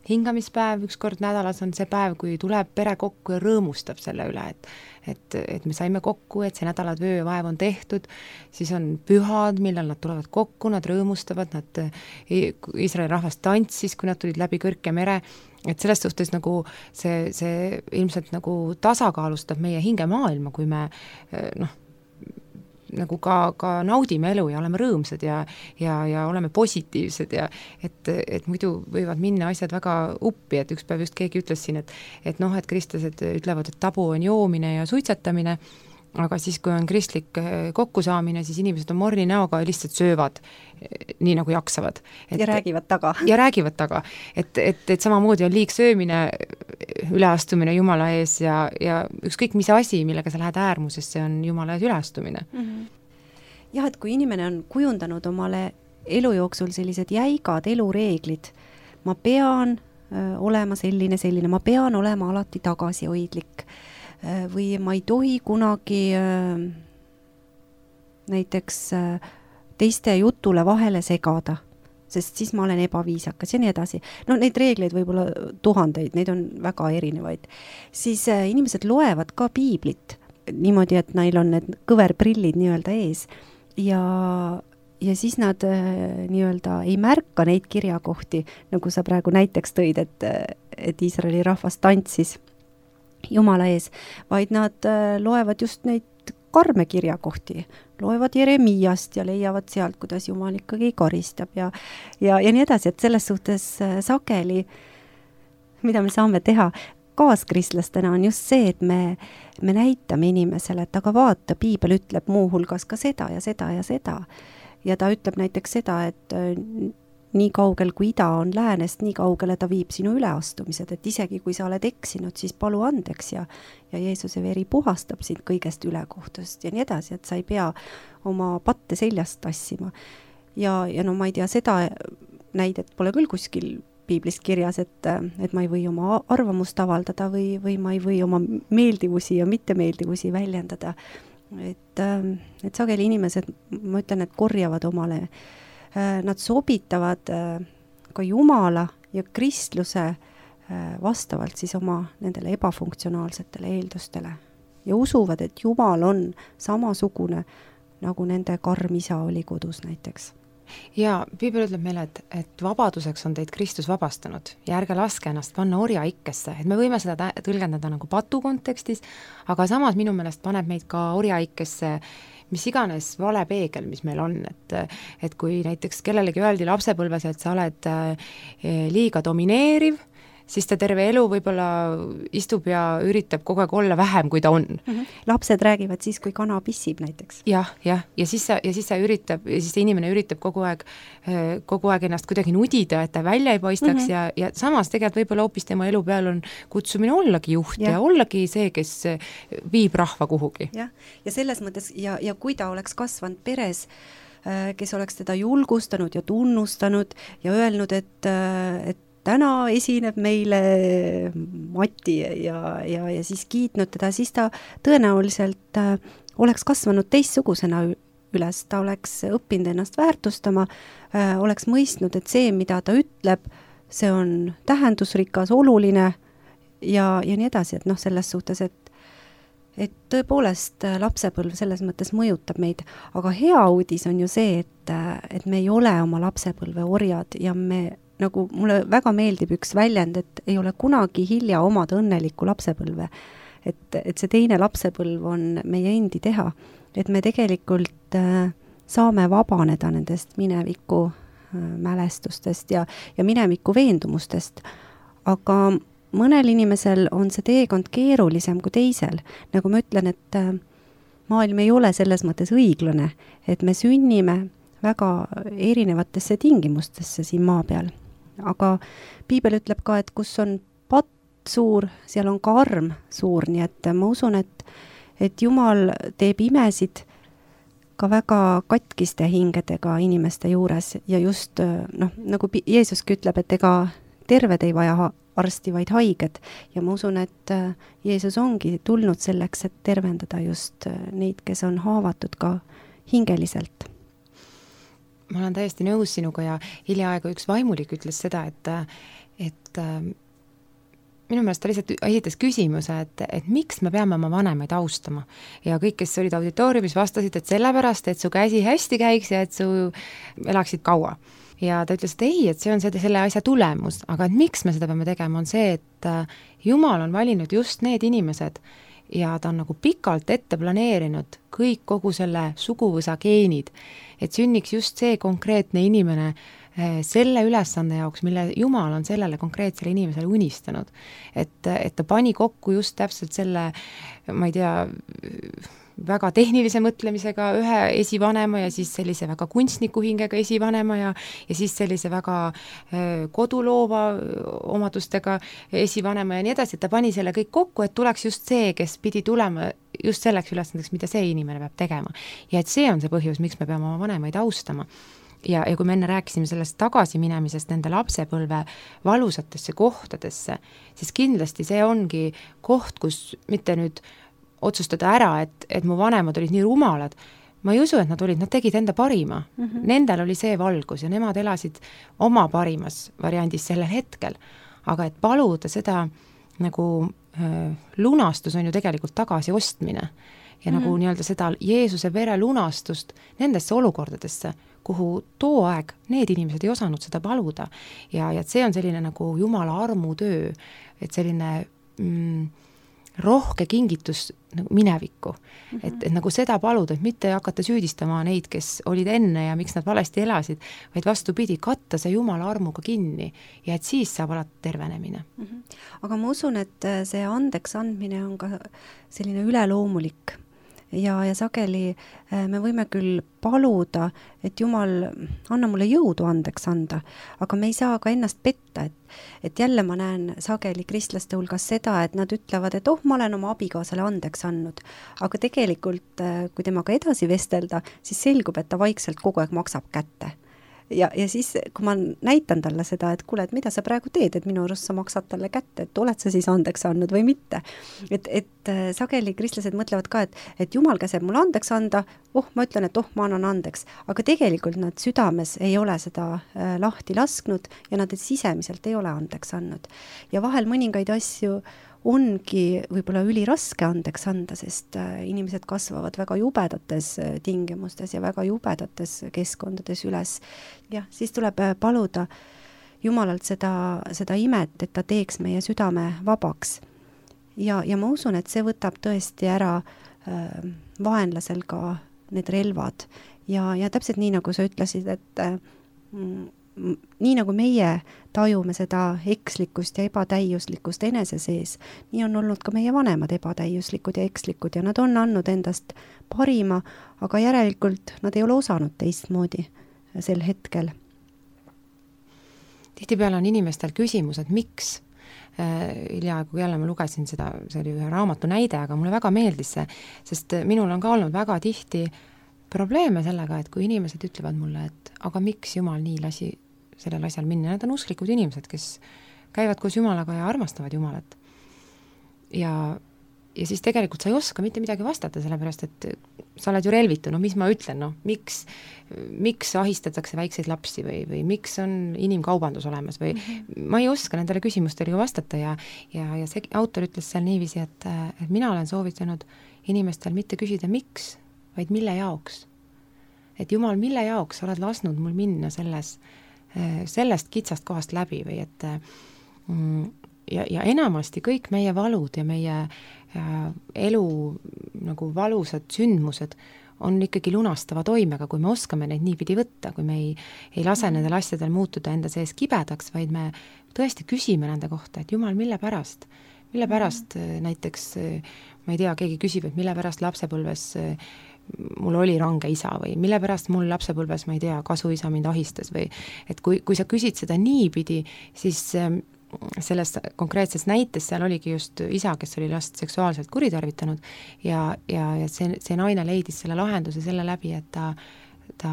Hingamispäev üks kord nädalas on see päev, kui tuleb pere kokku ja rõõmustab selle üle, et, et, et me saime kokku, et see nädala töö ja vaev on tehtud, siis on pühad, millal nad tulevad kokku, nad rõõmustavad, nad Iisraeli rahvas tantsis, kui nad tulid läbi kõrke mere, et selles suhtes nagu see, see ilmselt nagu tasakaalustab meie hingemaailma, kui me noh, nagu ka, ka naudime elu ja oleme rõõmsad ja, ja, ja oleme positiivsed ja et, et muidu võivad minna asjad väga uppi, et üks päev just keegi ütles siin, et, et noh, et kristlased ütlevad, et tabu on joomine ja suitsetamine, aga siis, kui on kristlik kokkusaamine, siis inimesed on morni näoga ja lihtsalt söövad nii nagu jaksavad. Et, ja räägivad taga. Ja räägivad taga. Et, et, et samamoodi on liigsöömine, üleastumine Jumala ees ja, ja ükskõik mis asi, millega sa lähed äärmusesse, see on Jumala ees üleastumine. Mm-hmm. Jah, et kui inimene on kujundanud omale elu jooksul sellised jäigad elureeglid, ma pean öö, olema selline, selline, ma pean olema alati tagasihoidlik või ma ei tohi kunagi äh, näiteks äh, teiste jutule vahele segada, sest siis ma olen ebaviisakas ja nii edasi. No neid reegleid võib-olla tuhandeid, neid on väga erinevaid. Siis äh, inimesed loevad ka piiblit niimoodi, et neil on need kõverprillid nii-öelda ees ja, ja siis nad äh, nii-öelda ei märka neid kirjakohti, nagu sa praegu näiteks tõid, et, et Iisraeli rahvas tantsis Jumala ees, vaid nad äh, loevad just neid karme kirjakohti, loevad Jeremiast ja leiavad sealt, kuidas Jumal ikkagi karistab ja, ja, ja nii edasi, et selles suhtes äh, sageli, mida me saame teha kaaskristlastena, on just see, et me, me näitame inimesele, et aga vaata, piibel ütleb muu hulgas ka seda ja seda ja seda. Ja ta ütleb näiteks seda, et äh, nii kaugel kui ida on läänest, nii kaugele ta viib sinu üleastumised, et isegi kui sa oled eksinud, siis palu andeks ja, ja Jeesuse veri puhastab sind kõigest ülekohtust ja nii edasi, et sa ei pea oma patte seljast tassima. Ja, ja no ma ei tea, seda näidet pole küll kuskil piiblist kirjas, et, et ma ei või oma arvamust avaldada või, või ma ei või oma meeldivusi ja mittemeeldivusi väljendada. Et, et sageli inimesed, ma ütlen, et korjavad omale nad sobitavad ka Jumala ja kristluse vastavalt siis oma nendele ebafunktsionaalsetele eeldustele ja usuvad, et Jumal on samasugune, nagu nende karm isa oli kodus näiteks. ja Piibel ütleb meile, et, et vabaduseks on teid Kristus vabastanud ja ärge laske ennast panna orjaikkesse, et me võime seda tõlgendada nagu patu kontekstis, aga samas minu meelest paneb meid ka orjaikkesse mis iganes vale peegel, mis meil on, et et kui näiteks kellelegi öeldi lapsepõlves, et sa oled liiga domineeriv, siis ta terve elu võib-olla istub ja üritab kogu aeg olla vähem, kui ta on. Mm-hmm. Lapsed räägivad siis, kui kana pissib näiteks. jah, jah, ja siis sa, ja siis sa üritab, ja siis see inimene üritab kogu aeg, kogu aeg ennast kuidagi nudida, et ta välja ei paistaks mm-hmm. ja, ja samas tegelikult võib-olla hoopis tema elu peal on kutsumine ollagi juht ja, ja ollagi see, kes viib rahva kuhugi. jah, ja selles mõttes, ja, ja kui ta oleks kasvanud peres, kes oleks teda julgustanud ja tunnustanud ja öelnud, et, et täna esineb meile Mati ja, ja, ja siis kiitnud teda, siis ta tõenäoliselt äh, oleks kasvanud teistsugusena üles, ta oleks õppinud ennast väärtustama, äh, oleks mõistnud, et see, mida ta ütleb, see on tähendusrikas, oluline ja, ja nii edasi, et noh, selles suhtes, et et tõepoolest lapsepõlv selles mõttes mõjutab meid, aga hea uudis on ju see, et, et me ei ole oma lapsepõlve orjad ja me nagu mulle väga meeldib üks väljend, et ei ole kunagi hilja omada õnnelikku lapsepõlve. Et, et see teine lapsepõlv on meie endi teha. Et me tegelikult äh, saame vabaneda nendest mineviku äh, mälestustest ja, ja mineviku veendumustest. Aga mõnel inimesel on see teekond keerulisem kui teisel. Nagu ma ütlen, et äh, maailm ei ole selles mõttes õiglane, et me sünnime väga erinevatesse tingimustesse siin maa peal. Aga Piibel ütleb ka, et kus on patt suur, seal on ka arm suur, nii et ma usun, et, et Jumal teeb imesid ka väga katkiste hingedega inimeste juures ja just noh, nagu Jeesuski ütleb, et ega terved ei vaja arsti, vaid haiged ja ma usun, et Jeesus ongi tulnud selleks, et tervendada just neid, kes on haavatud ka hingeliselt. Ma olen täiesti nõus sinuga ja hiljaaegu üks vaimulik ütles seda, et, et minu meelest ta lihtsalt esitas küsimuse, et, et miks me peame oma vanemaid austama. Ja kõik, kes olid auditooriumis, vastasid, et sellepärast, et su käsi hästi käiks ja et su elaksid kaua. Ja ta ütles, et ei, et see on selle, selle asja tulemus, aga et miks me seda peame tegema, on see, et Jumal on valinud just need inimesed, ja ta on nagu pikalt ette planeerinud kõik kogu selle suguvõsa geenid, et sünniks just see konkreetne inimene selle ülesande jaoks, mille Jumal on sellele konkreetsele inimesele unistanud. Et, et ta pani kokku just täpselt selle, ma ei tea, väga tehnilise mõtlemisega ühe esivanema ja siis sellise väga kunstniku hingega esivanema ja, ja siis sellise väga koduloova omadustega esivanema ja nii edasi, et ta pani selle kõik kokku, et tuleks just see, kes pidi tulema just selleks ülesandeks, mida see inimene peab tegema. Ja et see on see põhjus, miks me peame oma vanemaid austama. Ja, ja kui me enne rääkisime sellest tagasiminemisest nende lapsepõlve valusatesse kohtadesse, siis kindlasti see ongi koht, kus mitte nüüd otsustada ära, et, et mu vanemad olid nii rumalad. Ma ei usu, et nad olid, nad tegid enda parima. Mm-hmm. Nendel oli see valgus ja nemad elasid oma parimas variandis sellel hetkel. Aga et paluda seda nagu äh, lunastus on ju tegelikult tagasi ostmine. Ja mm-hmm. nagu nii-öelda seda Jeesuse vere lunastust nendesse olukordadesse, kuhu too aeg need inimesed ei osanud seda paluda. Ja, ja see on selline nagu Jumala armutöö, et selline mm, rohke kingitus nagu minevikku, mm-hmm. et, et nagu seda paluda, et mitte hakata süüdistama neid, kes olid enne ja miks nad valesti elasid, vaid vastupidi, katta see Jumala armuga kinni ja et siis saab alati tervenemine. Mm-hmm. Aga ma usun, et see andeks andmine on ka selline üleloomulik ja, ja sageli me võime küll paluda, et Jumal, anna mulle jõudu andeks anda, aga me ei saa ka ennast petta, et, et jälle ma näen sageli kristlaste hulgas seda, et nad ütlevad, et oh, ma olen oma abikaasale andeks andnud, aga tegelikult, kui temaga edasi vestelda, siis selgub, et ta vaikselt kogu aeg maksab kätte. Ja, ja siis, kui ma näitan talle seda, et kuule, et mida sa praegu teed, et minu arust sa maksad talle kätte, et oled sa siis andeks andnud või mitte. Et, et sageli kristlased mõtlevad ka, et, et Jumal käseb mulle andeks anda, oh, ma ütlen, et oh, ma annan andeks. Aga tegelikult nad südames ei ole seda äh, lahti lasknud ja nad sisemiselt ei ole andeks andnud. Ja vahel mõningaid asju ongi võib-olla üliraske andeks anda, sest inimesed kasvavad väga jubedates tingimustes ja väga jubedates keskkondades üles. Jah, siis tuleb paluda Jumalalt seda, seda imet, et ta teeks meie südame vabaks. Ja, ja ma usun, et see võtab tõesti ära äh, vaenlasel ka need relvad. Ja, ja täpselt nii, nagu sa ütlesid, et äh, nii nagu meie tajume seda ekslikkust ja ebatäiuslikkust enese sees, nii on olnud ka meie vanemad ebatäiuslikud ja ekslikud ja nad on andnud endast parima, aga järelikult nad ei ole osanud teistmoodi sel hetkel. Tihtipeale on inimestel küsimus, et miks? Hiljaaegu jälle ma lugesin seda, see oli ühe raamatu näide, aga mulle väga meeldis see, sest minul on ka olnud väga tihti probleeme sellega, et kui inimesed ütlevad mulle, et aga miks Jumal nii lasi sellel asjal minna, need on usklikud inimesed, kes käivad koos Jumalaga ja armastavad Jumalat. Ja, ja siis tegelikult sa ei oska mitte midagi vastata, sellepärast, et sa oled ju relvitu, no mis ma ütlen, no miks, miks ahistatakse väikseid lapsi või, või miks on inimkaubandus olemas või mm-hmm. ma ei oska nendele küsimustele vastata ja, ja, ja see autor ütles seal niiviisi, et, et mina olen soovitanud inimestel mitte küsida miks, vaid mille jaoks. Et Jumal, mille jaoks oled lasnud mul minna selles sellest kitsast kohast läbi või et ja, ja enamasti kõik meie valud ja meie elu nagu valusad sündmused on ikkagi lunastava toimega, kui me oskame neid niipidi võtta, kui me ei, ei lase nendel asjadel muutuda enda sees kibedaks, vaid me tõesti küsime nende kohta, et Jumal, mille pärast? Mille pärast näiteks, ma ei tea, keegi küsib, et mille pärast lapsepõlves mul oli range isa või mille pärast mul lapsepõlves, ma ei tea, kasuisa mind ahistas või et kui, kui sa küsid seda niipidi, siis selles konkreetses näites seal oligi just isa, kes oli last seksuaalselt kuritarvitanud ja, ja, ja see, see naine leidis selle lahenduse selle läbi, et ta, ta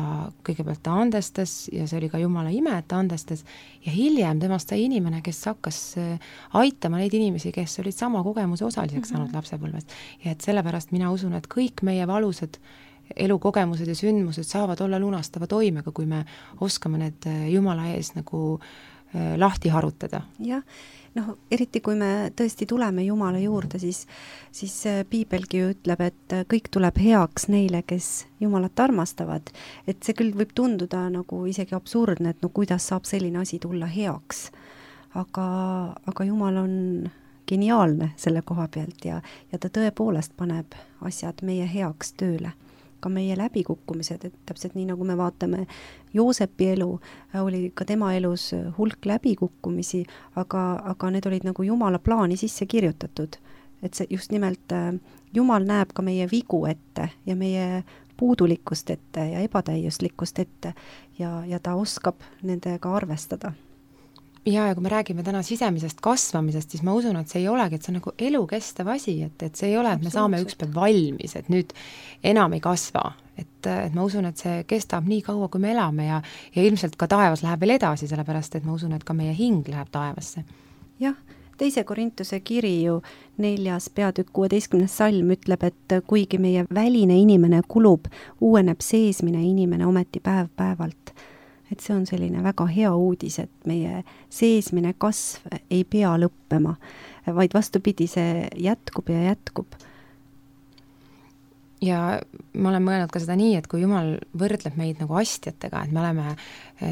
kõigepealt ta andestas ja see oli ka Jumala ime, et ta andestas ja hiljem temast sai inimene, kes hakkas aitama neid inimesi, kes olid sama kogemuse osaliseks saanud mm-hmm. lapsepõlvest ja et sellepärast mina usun, et kõik meie valusad elukogemused ja sündmused saavad olla lunastava toimega, kui me oskame need Jumala ees nagu lahti harutada. Jah, noh, eriti kui me tõesti tuleme Jumala juurde, siis, siis piibelgi ju ütleb, et kõik tuleb heaks neile, kes Jumalat armastavad. Et see küll võib tunduda nagu isegi absurdne, et no kuidas saab selline asi tulla heaks. Aga, aga Jumal on geniaalne selle koha pealt ja, ja ta tõepoolest paneb asjad meie heaks tööle. Ka meie läbikukkumised, et täpselt nii nagu me vaatame Joosepi elu, oli ka tema elus hulk läbikukkumisi, aga, aga need olid nagu Jumala plaani sisse kirjutatud. Et see just nimelt Jumal näeb ka meie vigu ette ja meie puudulikkust ette ja ebatäiuslikkust ette ja, ja ta oskab nendega arvestada. Ja, ja kui me räägime täna sisemisest kasvamisest, siis ma usun, et see ei olegi, et see on nagu elukestev asi, et, et see ei ole, et me saame ükspäev valmis, et nüüd enam ei kasva. Et, et ma usun, et see kestab nii kaua, kui me elame ja, ja ilmselt ka taevas läheb veel edasi, sellepärast, et ma usun, et ka meie hing läheb taevasse. Jah, teise Korintuse kiri ju neljas peatükk kuueteistkümnes salm ütleb, et kuigi meie väline inimene kulub, uueneb seesmine inimene ometi päev päevalt. Et see on selline väga hea uudis, et meie seesmine kasv ei pea lõppema, vaid vastupidi, see jätkub ja jätkub. Ja ma olen mõelnud ka seda nii, et kui Jumal võrdleb meid nagu astjatega, et me oleme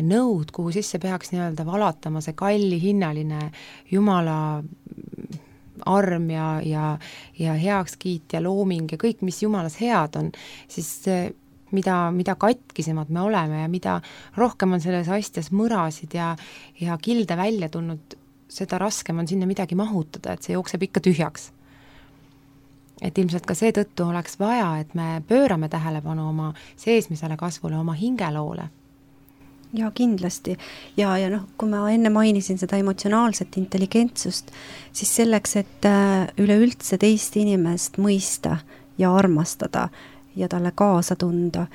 nõud, kuhu sisse peaks nii-öelda valatama see kalli hinnaline Jumala arm ja, ja, ja heakskiit ja looming ja kõik, mis Jumalas head on, siis mida, mida katkisemad me oleme ja mida rohkem on selles astjas mõrasid ja, ja kilde välja tulnud, seda raskem on sinna midagi mahutada, et see jookseb ikka tühjaks. Et ilmselt ka seetõttu oleks vaja, et me pöörame tähelepanu oma seesmisele kasvule, oma hingeloole. Ja kindlasti. Ja, ja noh, kui ma enne mainisin seda emotsionaalset intelligentsust, siis selleks, et üleüldse teist inimest mõista ja armastada ja talle kaasa tunda,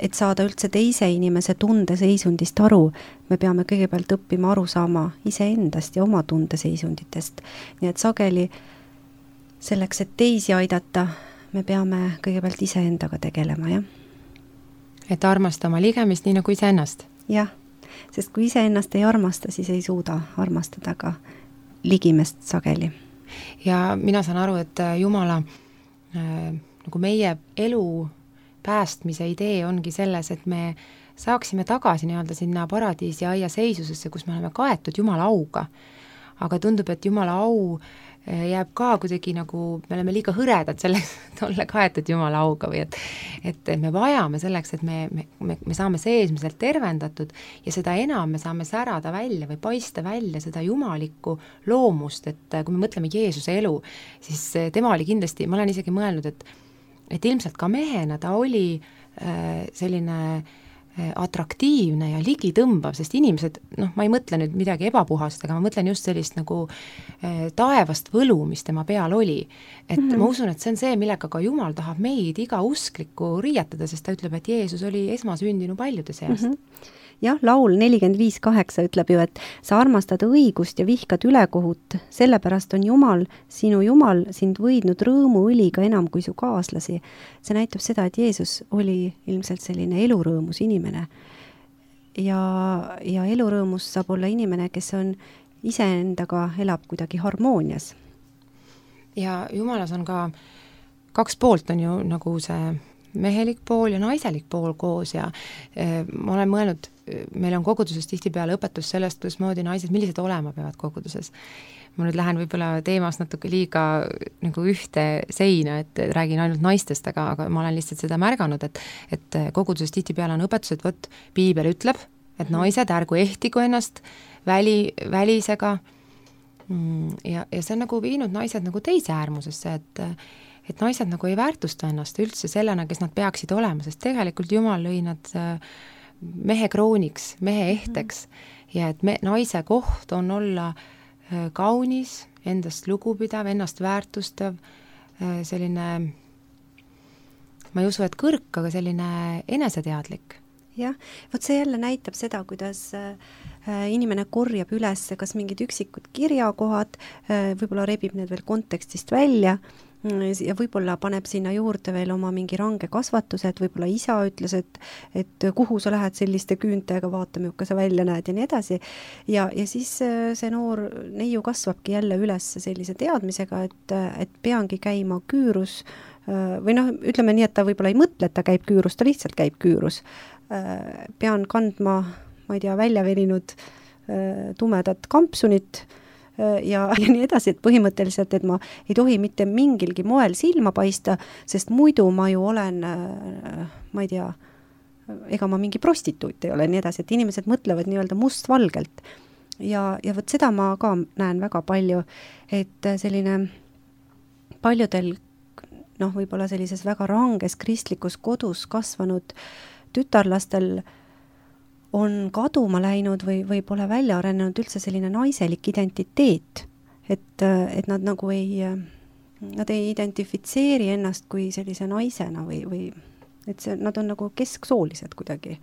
et saada üldse teise inimese tundeseisundist aru, me peame kõigepealt õppima aru saama iseendast ja oma tundeseisunditest. Nii et sageli selleks, et teisi aidata, me peame kõigepealt iseendaga tegelema, jah. Et armasta oma ligemist nii nagu iseennast? Jah, sest kui iseennast ei armasta, siis ei suuda armastada ka ligimest sageli. ja mina saan aru, et Jumala äh, nagu meie elu päästmise idee ongi selles, et me saaksime tagasi nii-öelda sinna paradiisi aia seisusesse, kus me oleme kaetud Jumala auga. Aga tundub, et Jumala au jääb ka kuidagi nagu, me oleme liiga hõredad selleks, et olla kaetud Jumala auga või et et me vajame selleks, et me, me, me, me saame seesmiselt tervendatud ja seda enam me saame särada välja või paista välja seda jumalikku loomust, et kui me mõtleme Jeesuse elu, siis tema oli kindlasti, ma olen isegi mõelnud, et et ilmselt ka mehena ta oli äh, selline atraktiivne ja ligitõmbav, sest inimesed, noh, ma ei mõtle nüüd midagi ebapuhast, aga ma mõtlen just sellist nagu äh, taevast võlu, mis tema peal oli. Et mm -hmm. ma usun, et see on see, millega ka Jumal tahab meid iga usklikku riietada, sest ta ütleb, et Jeesus oli esmasündinu paljude seast. Mm -hmm. Jah, laul nelikümmend viis kaheksa ütleb ju, et sa armastad õigust ja vihkad ülekohut, sellepärast on Jumal, sinu Jumal, sind võidnud rõõmuõliga enam kui su kaaslasi. See näitab seda, et Jeesus oli ilmselt selline elurõõmus inimene. Ja, ja elurõõmus saab olla inimene, kes on iseendaga elab kuidagi harmoonias. Ja Jumalas on ka kaks poolt on ju nagu see mehelik pool ja naiselik pool koos ja e, ma olen mõelnud, meil on koguduses tihtipeale õpetus sellest, kuidas moodi naised, millised olema peavad koguduses. Ma nüüd lähen võib-olla teemas natuke liiga nagu ühte seina, et räägin ainult naistest, aga, aga ma olen lihtsalt seda märganud, et, et koguduses tihtipeale on õpetus, et võt, piibel ütleb, et naised ärgu ehtigu ennast väli, välisega ja, ja see on nagu viinud naised nagu teise äärmusesse, et et naised nagu ei väärtusta ennast üldse sellena, kes nad peaksid olema, sest tegelikult Jumal lõi nad mehe krooniks, mehe ehteks ja et me, naise koht on olla kaunis, endast lugupidav, ennast väärtustav, selline, ma ei usu, et kõrk, aga selline eneseteadlik. Jah, vot see jälle näitab seda, kuidas inimene korjab üles kas mingid üksikud kirjakohad, võib-olla rebib need veel kontekstist välja ja võib-olla paneb sinna juurde veel oma mingi range kasvatuse, et võib-olla isa ütles, et, et kuhu sa lähed selliste küüntega, vaata, milline sa välja näed ja nii edasi. Ja, ja siis see noor neiu kasvabki jälle üles sellise teadmisega, et, et peangi käima küürus või noh, ütleme nii, et ta võib-olla ei mõtle, et ta käib küürus, ta lihtsalt käib küürus. Pean kandma, ma ei tea, välja veninud tumedat kampsunit ja, ja nii edasi, et põhimõtteliselt, et ma ei tohi mitte mingilgi moel silma paista, sest muidu ma ju olen, ma ei tea, ega ma mingi prostituut ei ole, nii edasi, et inimesed mõtlevad nii-öelda mustvalgelt. Ja, ja võt seda ma ka näen väga palju, et selline paljudel, noh, võib-olla sellises väga ranges kristlikus kodus kasvanud tütarlastel on kaduma läinud või, või pole välja arenenud üldse selline naiselik identiteet, et, et nad nagu ei, nad ei identifitseeri ennast kui sellise naisena või, või et see, nad on nagu kesksoolised kuidagi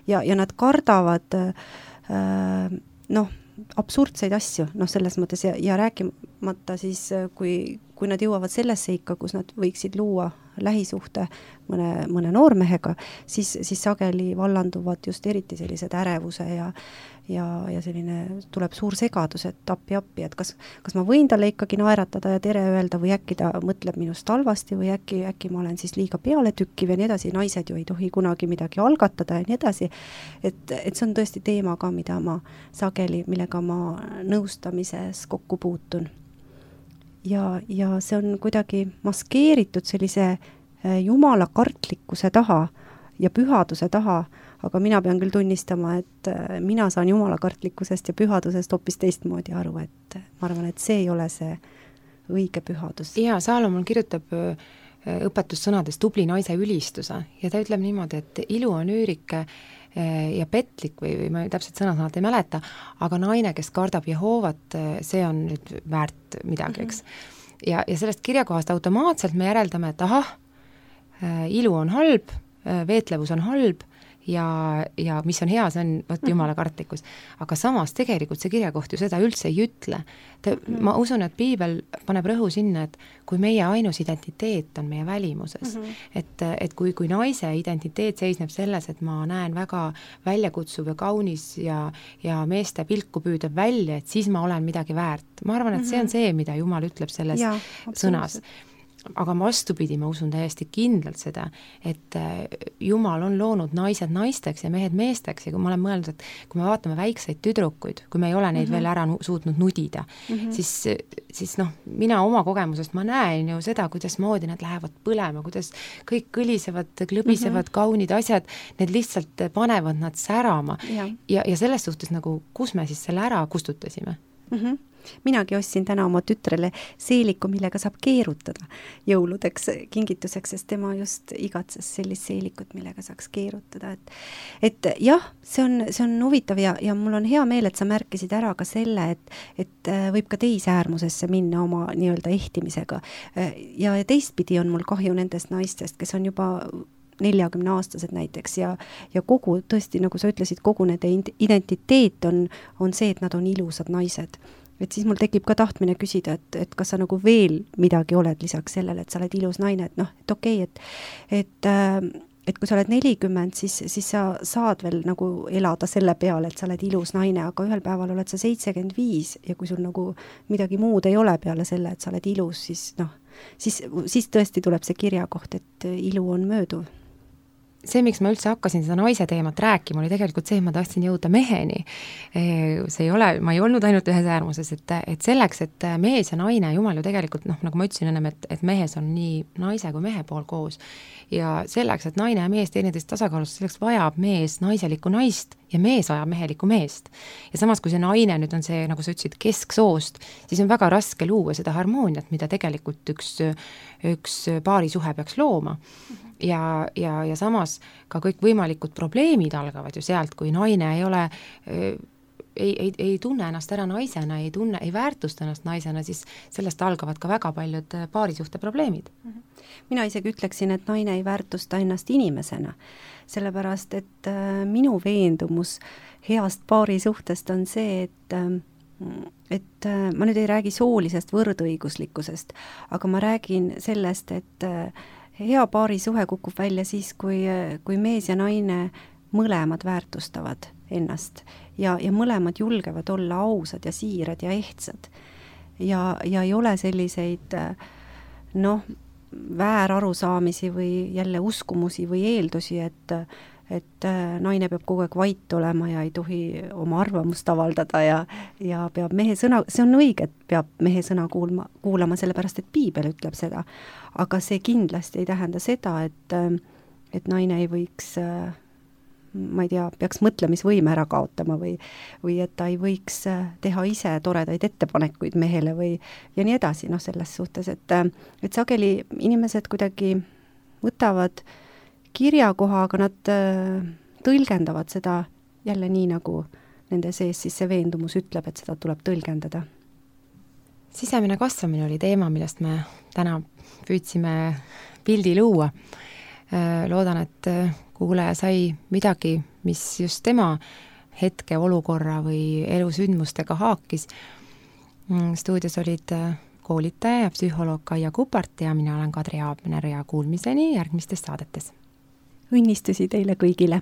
ja, ja nad kardavad äh, noh, absurdseid asju, noh selles mõttes ja, ja rääkimata siis, kui, kui nad jõuavad sellesse ikka, kus nad võiksid luua lähisuhte mõne, mõne noormehega, siis, siis sageli vallanduvad just eriti sellised ärevuse ja, ja, ja selline tuleb suur segadus, et appi appi, et kas, kas ma võin talle ikkagi naeratada ja tere öelda või äkki ta mõtleb minust halvasti või äkki, äkki ma olen siis liiga pealetükkiv ja nii edasi, naised ju ei tohi kunagi midagi algatada ja nii edasi, et, et see on tõesti teema ka, mida ma sageli, millega ma nõustamises kokku puutun. Ja, ja see on kuidagi maskeeritud sellise jumala kartlikkuse taha ja pühaduse taha, aga mina pean küll tunnistama, et mina saan jumala kartlikkusest ja pühadusest hoopis teistmoodi aru, et ma arvan, et see ei ole see õige pühadus. Ja Saalomon kirjutab õpetussõnades tubli naise ülistuse ja ta ütleb niimoodi, et ilu on üürike ja petlik või, või ma täpselt sõna-sõnalt ei mäleta, aga naine, kes kardab Jehoovat, see on nüüd väärt midagi, eks. Ja, ja sellest kirjakohast automaatselt me järeldame, et ahah, ilu on halb, veetlevus on halb ja, ja mis on hea, see on võt jumala kartlikkus. Aga samas tegelikult see kirjakoht ju seda üldse ei ütle. Ta, ma usun, et piibel paneb rõhu sinna, et kui meie ainus identiteet on meie välimuses, mm-hmm. et, et kui, kui naise identiteet seisneb selles, et ma näen väga väljakutsuv ja kaunis ja, ja meeste pilku püüdab välja, et siis ma olen midagi väärt. Ma arvan, et see on see, mida Jumal ütleb selles ja, sõnas. Aga vastupidi, ma usun täiesti kindlalt seda, et Jumal on loonud naised naisteks ja mehed meesteks ja kui ma olen mõelnud, et kui me vaatame väikseid tüdrukuid, kui me ei ole neid mm-hmm. veel ära suutnud nudida, mm-hmm. siis, siis noh, mina oma kogemusest ma näen ju seda, kuidas moodi nad lähevad põlema, kuidas kõik kõlisevad, klõbisevad mm-hmm. kaunid asjad, need lihtsalt panevad nad särama ja, ja, ja selles suhtes nagu, kus me siis selle ära kustutasime? Mm-hmm. Minagi ostsin täna oma tütrele seeliku, millega saab keerutada jõuludeks kingituseks, sest tema just igatses sellist seelikut, millega saaks keerutada. Et, et jah, see on, see on huvitav ja, ja mul on hea meel, et sa märkisid ära ka selle, et, et võib ka teise äärmusesse minna oma nii-öelda ehtimisega. Ja teistpidi on mul kahju nendest naistest, kes on juba neljakümne aastased näiteks ja, ja kogu, tõesti, nagu sa ütlesid, kogu nende identiteet on, on see, et nad on ilusad naised. Et siis mul tekib ka tahtmine küsida, et, et kas sa nagu veel midagi oled lisaks sellele, et sa oled ilus naine, et noh, et okei, et, et, et kui sa oled nelikümmend, siis, siis sa saad veel nagu elada selle peale, et sa oled ilus naine, aga ühel päeval oled sa seitsekümmend viis ja kui sul nagu midagi muud ei ole peale selle, et sa oled ilus, siis noh, siis, siis tõesti tuleb see kirjakoht, et ilu on mööduv. See, miks ma üldse hakkasin seda naise teemat rääkima, oli tegelikult see, et ma tahtsin jõuda meheni. See ei ole, ma ei olnud ainult ühes äärmuses, et, et selleks, et mees ja naine, Jumal ju tegelikult, noh, nagu ma ütlesin ennem, et, et mehes on nii naise kui mehe pool koos. Ja selleks, et naine ja mees teineteist tasakaalus, selleks vajab mees naiselikku naist ja mees vajab mehelikku meest. Ja samas, kui see naine nüüd on see, nagu sa ütlesid, kesksoost, siis on väga raske luua seda harmooniat, mida tegelikult üks, üks paarisuhe peaks looma. Ja, ja, ja samas ka kõik võimalikud probleemid algavad ju sealt, kui naine ei ole, ei, ei, ei tunne ennast ära naisena, ei tunne, ei väärtusta ennast naisena, siis sellest algavad ka väga paljud paarisuhte probleemid. Mina isegi ütleksin, et naine ei väärtusta ennast inimesena, sellepärast, et minu veendumus heast paarisuhtest on see, et et ma nüüd ei räägi soolisest võrdõiguslikkusest, aga ma räägin sellest, et hea paarisuhe kukub välja siis, kui, kui mees ja naine mõlemad väärtustavad ennast ja, ja mõlemad julgevad olla ausad ja siirad ja ehtsad. Ja, ja ei ole selliseid noh, väärarusaamisi või jälle uskumusi või eeldusi, et et naine peab kogu aeg vait olema ja ei tohi oma arvamust avaldada ja, ja peab mehe sõna, see on õige, et peab mehe sõna kuulma, kuulama, sellepärast et piibel ütleb seda. Aga see kindlasti ei tähenda seda, et, et naine ei võiks, ma ei tea, peaks mõtlemisvõime ära kaotama või, või et ta ei võiks teha ise toredaid ettepanekuid mehele või ja nii edasi, noh selles suhtes, et, et sageli inimesed kuidagi võtavad kirjakoha, aga nad tõlgendavad seda jälle nii, nagu nende sees siis see veendumus ütleb, et seda tuleb tõlgendada. Sisemine kasvamine oli teema, millest me täna püüdsime pildi luua. Loodan, et kuulaja sai midagi, mis just tema hetke olukorra või elusündmustega haakis. Stuudios olid koolitaja ja psühholoog Kaia Kupart ja mina olen Kadri Aabner ja kuulmiseni järgmistes saadetes. Õnnistusi teile kõigile!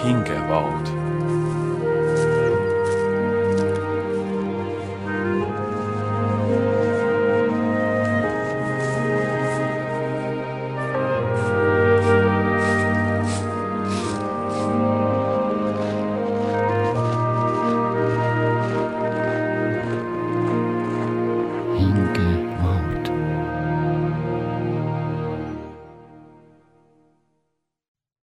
hingevaod. hinge